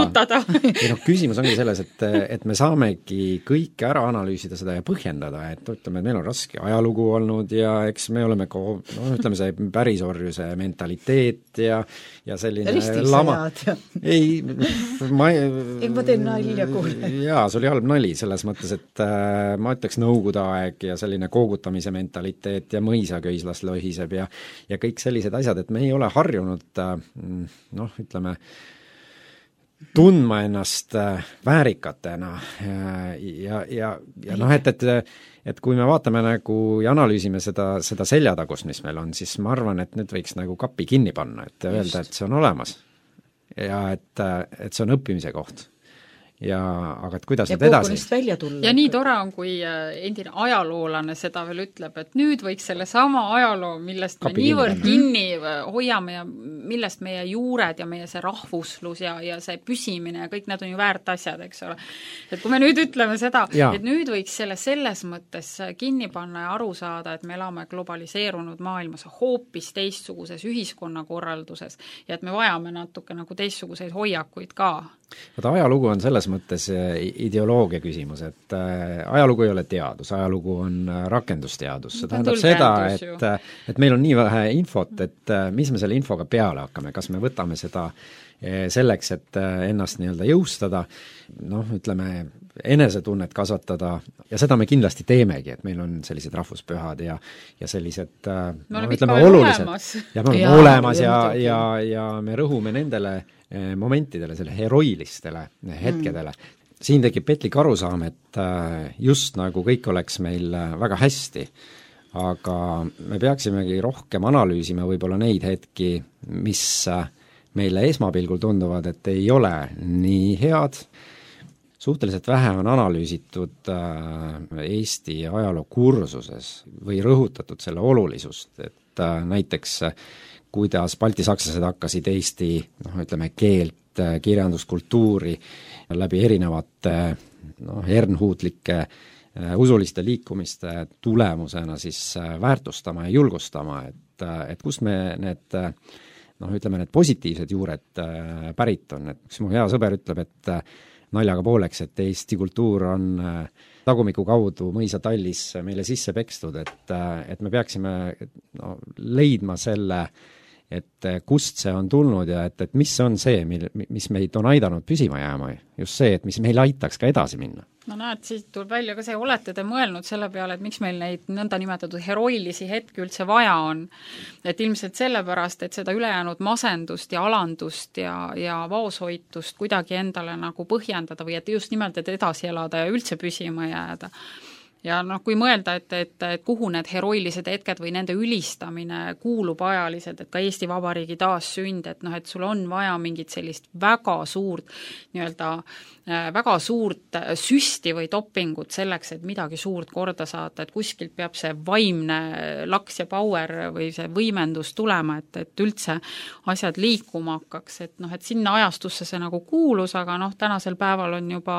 ei noh, küsimus ongi selles, et, et me saamegi kõike ära analüüsida seda ja põhjendada, et ütleme, et meil on raske ajalugu olnud ja eks me oleme ka, no ütleme see pärisorjuse mentaliteet ja, ja selline Ristis lama. Ja. ei, ma ei ei, ma teen nalja kuule. jaa, see oli halb nali selles mõttes, et äh, ma ütleks nõukogude aeg ja selline koogutamise mentaliteet ja mõisaköislas lohiseb ja, ja kõik sellised asjad, et me ei ole harjunud äh, noh, ütleme, tundma ennast väärikatena ja, ja, ja noh, et, et, et kui me vaatame nagu ja analüüsime seda, seda seljatagust, mis meil on, siis ma arvan, et nüüd võiks nagu kapi kinni panna, et öelda, et see on olemas ja et, et see on õppimise koht. Ja aga et kuidas ja nüüd edasi? välja tulla. Ja nii tore on, kui endine ajaloolane seda veel ütleb, et nüüd võiks selle sama ajaloo, millest me Kapi niivõrd kinni hoiame ja millest meie juured ja meie see rahvuslus ja, ja see püsimine ja kõik need on ju väärt asjad, eks ole. Et kui me nüüd ütleme seda, ja. et nüüd võiks selle selles mõttes kinni panna ja aru saada, et me elame globaliseerunud maailmas hoopis teistsuguses ühiskonnakorralduses ja et me vajame natuke nagu teistsuguseid hoiakuid ka. Vaata, ajalugu on selles mõttes ideoloogia küsimus, et äh, ajalugu ei ole teadus, ajalugu on rakendusteadus, see tähendab seda, et, et meil on nii vähe infot, et äh, mis me selle infoga peale hakkame, kas me võtame seda äh, selleks, et äh, ennast nii-öelda jõustada, noh, ütleme, enesetunnet kasvatada ja seda me kindlasti teemegi, et meil on sellised rahvuspühad ja, ja sellised äh, me oleme no, ütleme, olemas. ja me oleme ja, olemas ja, ja, ja me rõhume nendele momentidele, selle heroilistele hetkedele. Mm. Siin tekib petlik arusaam, et just nagu kõik oleks meil väga hästi, aga me peaksimegi rohkem analüüsima võib-olla neid hetki, mis meile esmapilgul tunduvad, et ei ole nii head. Suhteliselt vähe on analüüsitud Eesti ajaloo kursuses või rõhutatud selle olulisust, et näiteks kuidas baltisakslased hakkasid Eesti noh, ütleme keelt, kirjanduskultuuri läbi erinevate noh, ernhuutlike usuliste liikumiste tulemusena siis väärtustama ja julgustama, et, et kust me need noh, ütleme need positiivsed juured pärit on, et üks mu hea sõber ütleb, et naljaga pooleks, et Eesti kultuur on tagumiku kaudu mõisatallis meile sisse pekstud, et, et me peaksime no, leidma selle, et kust see on tulnud ja et, et mis on see, mil, mis meid on aidanud püsima jääma, just see, et mis meil aitaks ka edasi minna. No näed, siit tuleb välja ka see, olete te mõelnud selle peale, et miks meil neid nõnda nimetatud heroilisi hetki üldse vaja on. Et ilmselt sellepärast, et seda ülejäänud masendust ja alandust ja, ja vaoshoitust kuidagi endale nagu põhjendada või et just nimelt, et edasi elada ja üldse püsima jääda. Ja noh, kui mõelda, et, et, et kuhu need heroilised hetked või nende ülistamine kuulub ajaliselt, et ka Eesti Vabariigi taassünd, et noh, et sul on vaja mingit sellist väga suurt nii-öelda väga suurt süsti või toppingut selleks, et midagi suurt korda saata, et kuskilt peab see vaimne laks ja power või see võimendus tulema, et, et üldse asjad liikuma hakkaks, et noh, et sinna ajastusse see nagu kuulus, aga noh, tänasel päeval on juba,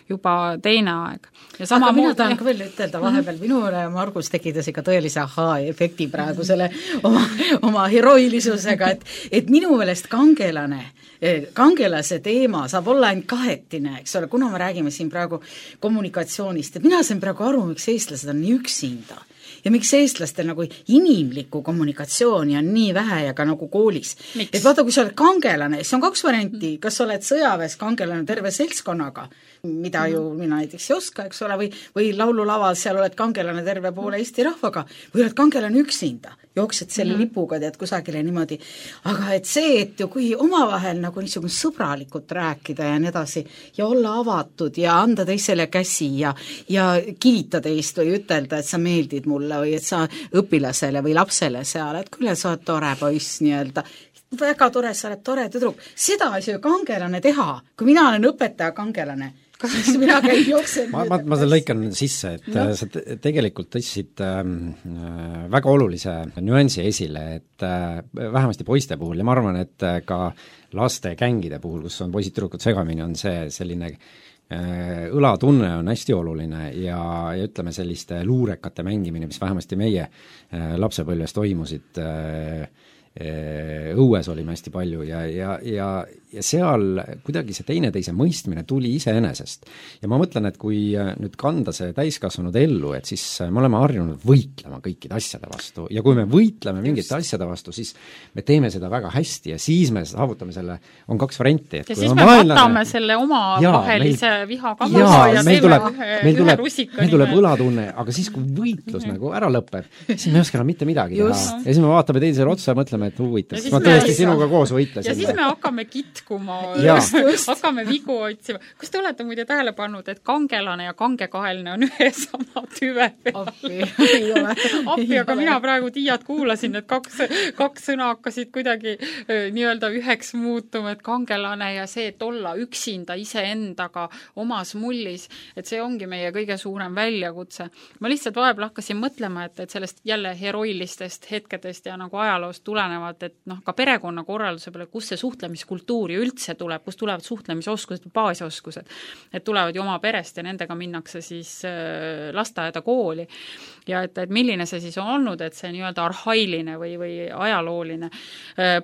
juba teine aeg. Ja sama aga mina muud... tahan ka veel ütelda vahepeal, minule Margus tekitas ikka tõelise ahaa-efekti praegu selle oma, oma heroilisusega, et, et minu meelest kangelane kangelase teema saab olla ainult kahetine, eks ole, kuna me räägime siin praegu kommunikatsioonist, et mina sain praegu aru, miks eestlased on nii üksinda ja miks eestlastel nagu inimlikku kommunikatsiooni on nii vähe ja ka nagu koolis. Miks? Et vaata, kui sa oled kangelane, siis on kaks varianti, kas sa oled sõjaväes kangelane terve seltskonnaga, mida ju mina näiteks ei oska, eks ole, või, või laululaval seal oled kangelane terve poole Eesti rahvaga, või oled kangelane üksinda, jooksed selle mm-hmm. lipuga, tead kusagile niimoodi. Aga et see, et ju kui omavahel nagu niisugune sõbralikult rääkida ja nii edasi, ja olla avatud ja anda teisele käsi ja, ja kiita teist või ütelda, et sa meeldid mulle või et sa õpilasele või lapsele seal, et küll sa oled tore poiss nii-öelda, väga tore, sa oled tore tüdruk. Seda ei saa ju kangelane teha, kui mina olen õpetaja kangelane, siis mina käin jooksen. ma, ma, ma selle lõikan sisse, et no. sa te, tegelikult tõstsid äh, väga olulise nüansi esile, et äh, vähemasti poiste puhul ja ma arvan, et äh, ka laste kängide puhul, kus on poisid-tüdrukud segamini, on see selline äh, õlatunne on hästi oluline ja, ja ütleme selliste luurekate mängimine, mis vähemasti meie äh, lapsepõlves toimusid äh, õues olime hästi palju ja, ja, ja, ja seal kuidagi see teineteise mõistmine tuli iseenesest. Ja ma mõtlen, et kui nüüd kanda see täiskasvanud ellu, et siis me oleme harjunud võitlema kõikide asjade vastu ja kui me võitleme mingite asjade vastu, siis me teeme seda väga hästi ja siis me saavutame selle, on kaks varianti. ja siis me vaenlane, võtame selle oma jaa, vahelise meil, viha kamasa ja, ja meil tuleb, meil tuleb, meil tuleb õlatunne, aga siis kui võitlus mm-hmm. nagu ära lõpeb, siis me ei oska mitte midagi Just. teha. Ja siis me vaatame teisele otsa ja mõtleme, et huvitav, ma tõesti sinuga koos võitlesin. Ja siis me hakkame kitkuma, hakkame vigu otsima. Kas te olete muide tähele pannud, et kangelane ja kangekaheline on ühe sama tüve peal? Appi, ei ole. Appi, aga mina praegu Tiiat kuulasin, et kaks, kaks sõna hakkasid kuidagi nii-öelda üheks muutuma, et kangelane ja see, et olla üksinda iseendaga omas mullis, et see ongi meie kõige suurem väljakutse. Ma lihtsalt vahepeal hakkasin mõtlema, et, et sellest jälle heroilistest hetkedest ja nagu ajaloost tulenevalt, et noh, ka perekonna korralduse peale, kus see suhtlemiskultuur ju üldse tuleb, kus tulevad suhtlemisoskused, baasoskused, et tulevad ju oma perest ja nendega minnakse siis lasteaeda kooli. Ja et, et milline see siis on olnud, et see nii-öelda arhailine või, või ajalooline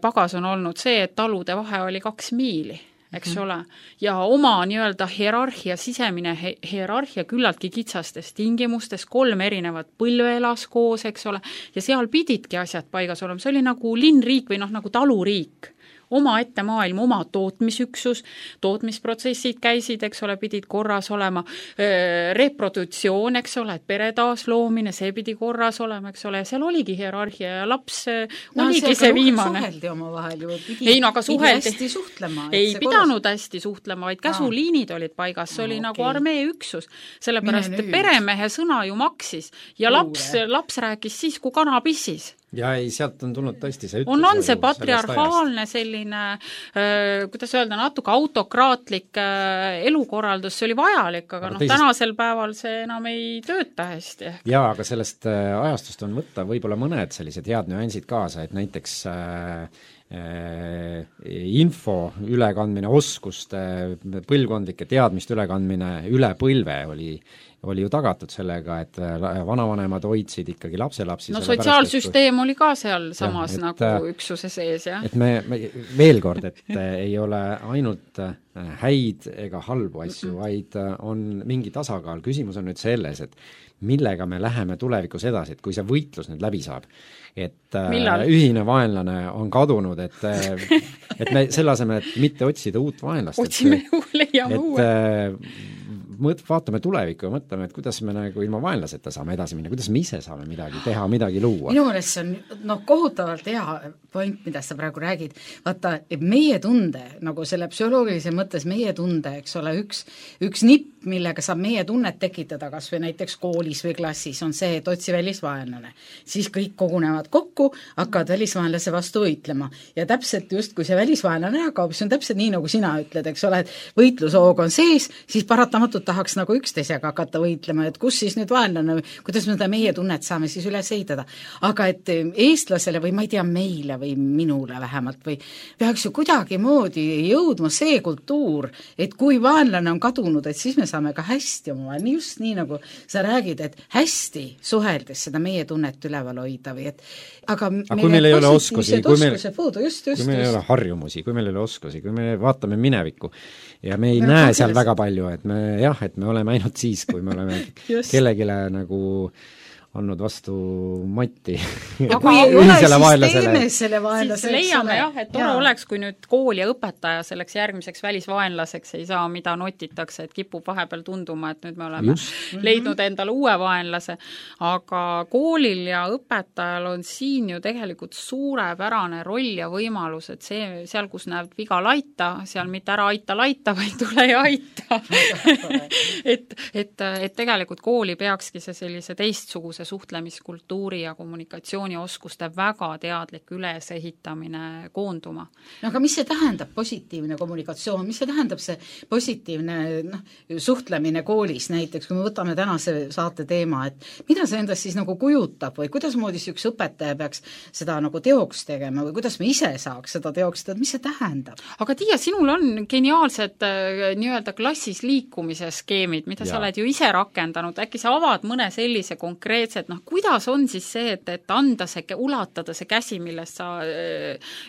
pagas on olnud see, et talude vahe oli kaks miili. Eks mm-hmm. ole, ja oma nii-öelda hierarhia, sisemine he- hierarhia küllaltki kitsastes tingimustes, kolm erinevat põlve elas koos, eks ole, ja seal pididki asjad paigas olema, see oli nagu linnriik või noh, nagu taluriik. Oma ette maailm, oma tootmisüksus, tootmisprotsessid käisid, eks ole, pidid korras olema, reprodutsioon, eks ole, et pere taasloomine, see pidi korras olema, eks ole, ja seal oligi hierarhia ja laps no, oligi see viimane. Suheldi oma vahel ju, pidi, ei, no, pidi hästi suhtlema. Ei pidanud korras. hästi suhtlema, vaid käsuliinid olid paigas, see no, oli okay. nagu armee üksus, sellepärast peremehe sõna ju maksis ja laps, laps rääkis siis, kui kana pissis. ja ei, sealt on tulnud tõesti see ütlus. on, on see patriarhaalne selline, kuidas öelda, natuke autokraatlik elukorraldus, see oli vajalik, aga, aga noh, teisest... tänasel päeval see enam ei tööta hästi. Jaa, aga sellest ajastust on võtta võib-olla mõned sellised head nüansid kaasa, et näiteks äh, äh, info ülekandmine, oskuste, põlvkondlike teadmiste ülekandmine üle põlve oli oli ju tagatud sellega, et vanavanemad hoidsid ikkagi lapselapsi. No sotsiaalsüsteem kui... oli ka seal samas ja, et, nagu üksuse sees, jah. Et me, me veel kord, et ei ole ainult häid ega halbu asju, vaid on mingi tasakaal. Küsimus on nüüd selles, et millega me läheme tulevikus edasi, et kui see võitlus nüüd läbi saab, et Millal? ühine vaenlane on kadunud, et, et me selle asemel, et mitte otsida uut vaenlast, otsime ju, leiame uue. Mõt, vaatame tulevikku ja mõtleme, et kuidas me nagu ilma vaenlaseta saame edasi minna, kuidas me ise saame midagi teha, midagi luua. Minu meelest see on no, kohutavalt hea point, mida sa praegu räägid. Vaata, meie tunde, nagu selle psühholoogilise mõttes meie tunde, eks ole, üks, üks nipp, millega saab meie tunnet tekitada, kas või näiteks koolis või klassis, on see, et otsi välisvaenlane. Siis kõik kogunevad kokku, hakkavad välisvaenlase vastu võitlema. Ja täpselt just, kui see välisvaenlane ära kaob, see on täpselt nii, nagu sina ütled, eks ole, et võitlushoog on sees, siis paratamatult tahaks nagu üksteisega hakata võitlema, et kus siis nüüd vaenlane, kuidas me seda meie tunnet saame siis üles ehitada. Aga et eestlasele või ma ei tea meile või minule vähemalt või peaks ju kuidagi moodi jõudma see kultuur, et kui vaenlane on kadunud, et siis me saame ka hästi oma, just nii nagu sa räägid, et hästi suheldes seda meie tunnet üleval hoida või et aga, aga kui meil ei ole oskusi, kui meil, puudu, just, just, kui meil ei ole harjumusi, kui meil ei ole oskusi, kui me vaatame minevikku ja me ei me näe seal väga palju, et me jah, et me oleme ainult siis, kui me oleme kellegile nagu andnud vastu Matti. Ja kui ei ole, siis teeme selle vaenlase. Siis leiame jah, et tore ja. oleks, kui nüüd kool ja õpetaja selleks järgmiseks välisvaenlaseks ei saa, mida notitakse, et kipub vahepeal tunduma, et nüüd me oleme Just. leidnud endale uue vaenlase. Aga koolil ja õpetajal on siin ju tegelikult suurepärane roll ja võimalus, et see, seal, kus näeb viga laita, seal mitte ära aita laita, vaid tule ja aita. et, et, et tegelikult kooli peakski see sellise teistsuguse suhtlemiskultuuri ja kommunikatsioonioskuste väga teadlik ülesehitamine koonduma. No aga mis see tähendab positiivne kommunikatsioon, mis see tähendab see positiivne noh, suhtlemine koolis näiteks, kui me võtame tänase saate teema, et mida see endast siis nagu kujutab või kuidas moodi see üks õpetaja peaks seda nagu teoks tegema või kuidas me ise saaks seda teoks teha, mis see tähendab? Aga Tiia, sinul on geniaalsed nii-öelda klassis liikumise skeemid, mida ja. sa oled ju ise rakendanud, äkki sa avad mõne sellise konkreetse et noh, kuidas on siis see, et, et anda see, ulatada see käsi, millest sa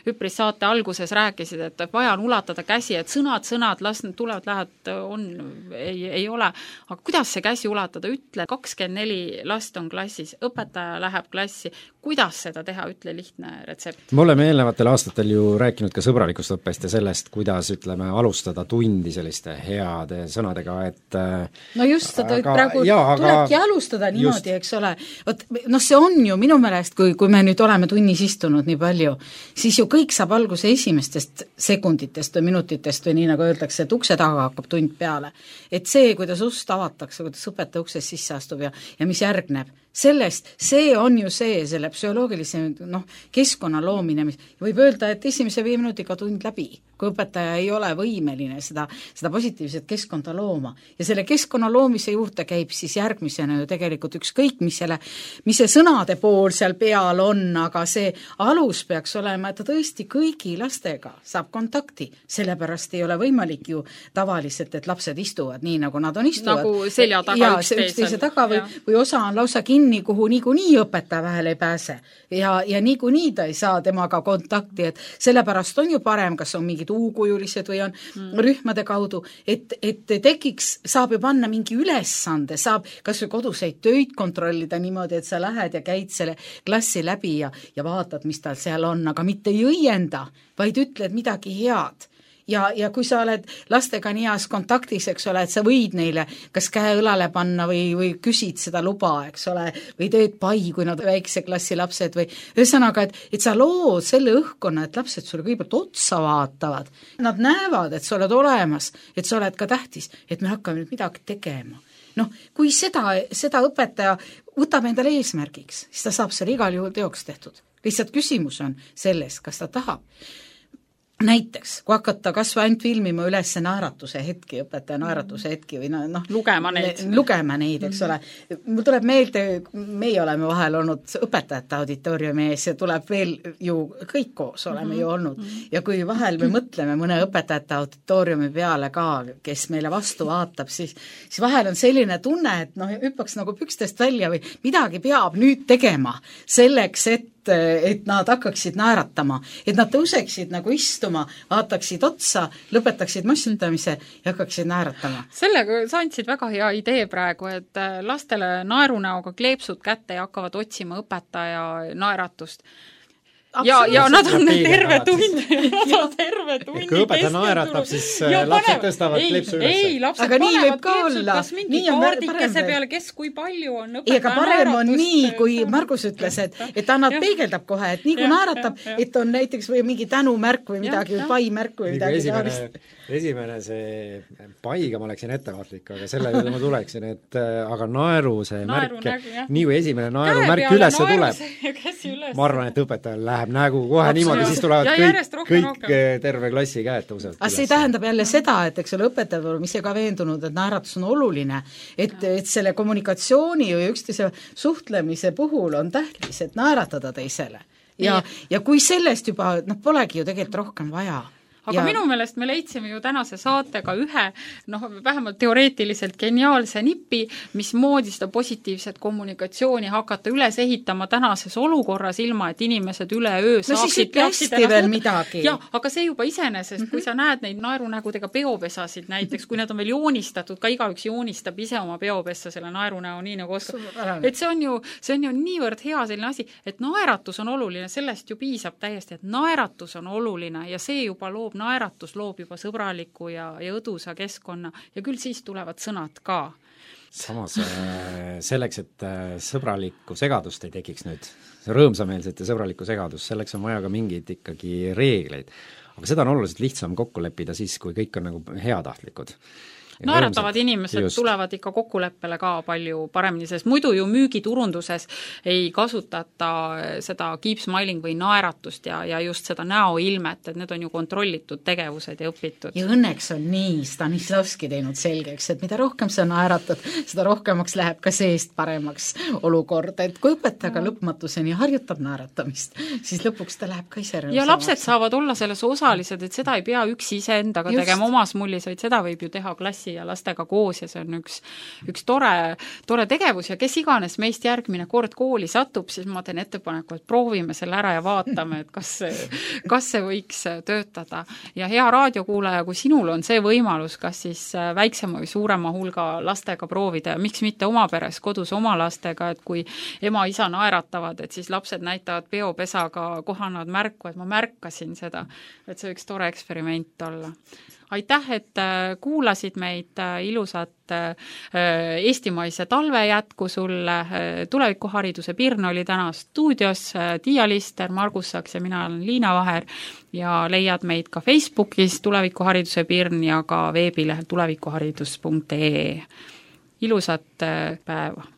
üpris saate alguses rääkisid, et vaja on ulatada käsi, et sõnad, sõnad, las need tulevad, lähevad, on, ei, ei ole. Aga kuidas see käsi ulatada? Ütle, kakskümmend neli last on klassis, õpetaja läheb klassi, kuidas seda teha, ütle lihtne retsept. Me oleme eelnevatel aastatel ju rääkinud ka sõbralikust õppest ja sellest, kuidas ütleme, alustada tundi selliste heade sõnadega, et no just, seda aga, praegu jaa, tulebki aga, alustada niimoodi, eks ole. Võt, noh, see on ju minu meelest, kui, kui me nüüd oleme tunnis istunud nii palju, siis ju kõik saab alguse esimestest sekunditest või minutitest või nii nagu öeldakse, et ukse taga hakkab tund peale. Et see, kuidas ust avatakse, kuidas õpetaja uksest sisse astub ja, ja mis järgneb, sellest, see on ju see, selle psühholoogilise noh, keskkonna loomine, mis võib öelda, et esimese viie minutiga tund läbi, kui õpetaja ei ole võimeline seda, seda positiivset keskkonda looma. Ja selle keskkonna loomise juurde käib siis järgmisena ju tegelikult ükskõik, mis selle, mis see sõnade pool seal peal on, aga see alus peaks olema, et ta tõesti kõigi lastega saab kontakti. Sellepärast ei ole võimalik ju tavaliselt, et lapsed istuvad nii, nagu nad on istuvad. Nagu selja taga üksteise taga või, või osa on lausa kinni, kuhu niikuinii õpetaja vahel ei pääse. Ja, ja niikuinii ta ei saa temaga kontakti, et sellepärast on ju parem, kas on mingid uukujulised või on mm. rühmade kaudu, et, et tekiks, saab ju panna mingi ülesande, saab kas või koduseid töid kontrollida niimoodi, et sa lähed ja käid selle klassi läbi ja, ja vaatad, mis tal seal on, aga mitte ei õienda, vaid ütled midagi head. Ja, ja kui sa oled lastega nii heas kontaktis, eks ole, et sa võid neile kas käe õlale panna või, või küsid seda luba, eks ole, või teed pai, kui nad väikse klassi lapsed või ühesõnaga, et, et sa lood selle õhkkonna, et lapsed sulle kõigepealt otsa vaatavad. Nad näevad, et sa oled olemas, et sa oled ka tähtis, et me hakkame nüüd midagi tegema. Noh, kui seda, seda õpetaja võtab endale eesmärgiks, siis ta saab selle igal juhul teoks tehtud. lihtsalt küsimus on selles, kas ta tahab. Näiteks, kui hakata kas või ainult filmima üles naeratuse hetki, õpetaja naeratuse hetki või noh, lugema neid, lugema neid, eks ole. Mul tuleb meelde, meie oleme vahel olnud õpetajate auditooriumi ees ja tuleb veel ju kõik koos oleme ju olnud. Ja kui vahel me mõtleme mõne õpetajate auditooriumi peale ka, kes meile vastu vaatab, siis, siis vahel on selline tunne, et noh, hüppaks nagu pükstest välja või midagi peab nüüd tegema selleks, et et nad hakkaksid naeratama, et nad tõuseksid nagu istuma, vaataksid otsa, lõpetaksid massutamise ja hakkaksid naeratama. Sellega sa andsid väga hea idee praegu, et lastele naerunäoga kleepsud kätte ja hakkavad otsima õpetaja naeratust. Ja, ja nad on terve tund, nad on terve tundi kui õpetaja naeratab, siis ja lapsed panevad, tõstavad ei, kleepsu üles. Ei, lapsed aga panevad kleepsud, kas mingi kaardikese peale, kes kui palju on õpetaja naeratust. Ega parem on nii, kui Margus ütles, et, et annab ja. peegeldab kohe, et nii kui naeratab, et on näiteks või mingi tänumärk või midagi, või paimärk või midagi. Esimene, esimene see paiga ma läksin ettevaatlik, aga selle juurde ma tuleksin, et aga naeru see naeru märk, nägu, nii kui esimene naeru märk üles tuleb, ma arvan, et õpetajal läheb nägu kohe niimoodi, siis tulevad ja kõik, rohkem, kõik rohkem. Terve klassi käed tõusevad. Aga see tähendab jälle seda, et eks ole õpetajad oleme ise ka veendunud, et naeratus on oluline, et, et selle kommunikatsiooni või üksteise suhtlemise puhul on tähtis, et naeratada teisele. Ja, ja kui sellest juba, noh, polegi ju tegelikult rohkem vaja. Aga ja. minu meelest me leidsime ju tänase saatega ühe, noh, vähemalt teoreetiliselt geniaalse nipi, mis moodi seda positiivset kommunikatsiooni hakata üles ehitama tänases olukorras, ilma et inimesed üle öö no saaksid hästi veel midagi. Ja, aga see juba iseenesest, mm-hmm. kui sa näed neid naerunägudega peopesasid näiteks, kui need on veel joonistatud, ka igaüks joonistab ise oma peopessa selle naerunäo nii nagu oskab. Et see on ju, see on ju niivõrd hea selline asi, et naeratus on oluline, sellest ju piisab täiesti, et naeratus on oluline ja see juba loob naeratus loob juba sõbraliku ja, ja õdusa keskkonna ja küll siis tulevad sõnad ka. Samas selleks, et sõbralikku segadust ei tekiks nüüd, rõõmsameelset ja sõbralikku segadust, selleks on vaja ka mingeid ikkagi reegleid. Aga seda on oluliselt lihtsam kokku leppida siis, kui kõik on nagu heatahtlikud. Naeratavad inimesed just. Tulevad ikka kokkuleppele ka palju paremini, sest muidu ju müügiturunduses ei kasutata seda keep smiling või naeratust ja, ja just seda näoilmet, et need on ju kontrollitud tegevused ja õpitud. Ja õnneks on nii Stanislavski teinud selgeks, et mida rohkem sa naeratad, seda rohkemaks läheb ka seest paremaks olukord, et kui õpetaja lõpmatuseni harjutab naeratamist, siis lõpuks ta läheb ka ise rõõmsamaks. Ja lapsed saavad olla selles osalised, et seda ei pea üksi ise endaga just. Tegema omas mullis, vaid seda võib ju teha klassi ja lastega koos ja see on üks, üks tore, tore tegevus ja kes iganes meist järgmine kord kooli satub, siis ma teen ettepaneku, et proovime selle ära ja vaatame, et kas see, kas see võiks töötada. Ja hea raadiokuulaja, kui sinul on see võimalus, kas siis väiksema või suurema hulga lastega proovida ja miks mitte oma peres kodus oma lastega, et kui ema-isa naeratavad, et siis lapsed näitavad peopesaga kohanud märku, et ma märkasin seda, et see võiks tore eksperiment olla. Aitäh, et kuulasid meid, ilusat eestimaise talve jätku sulle, tulevikuhariduse Pirn oli täna stuudios, Tiia Lister, Margus Saks ja mina olen Liina Vaher ja leiad meid ka Facebookis tulevikuhariduse Pirn ja ka veebilehel tulevikuharidus punkt ee. Ilusat päeva!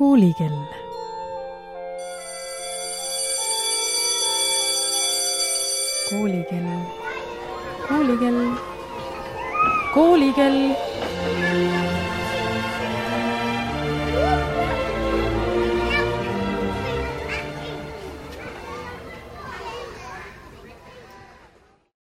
Koolikell. Koolikell. Koolikell. Koolikell.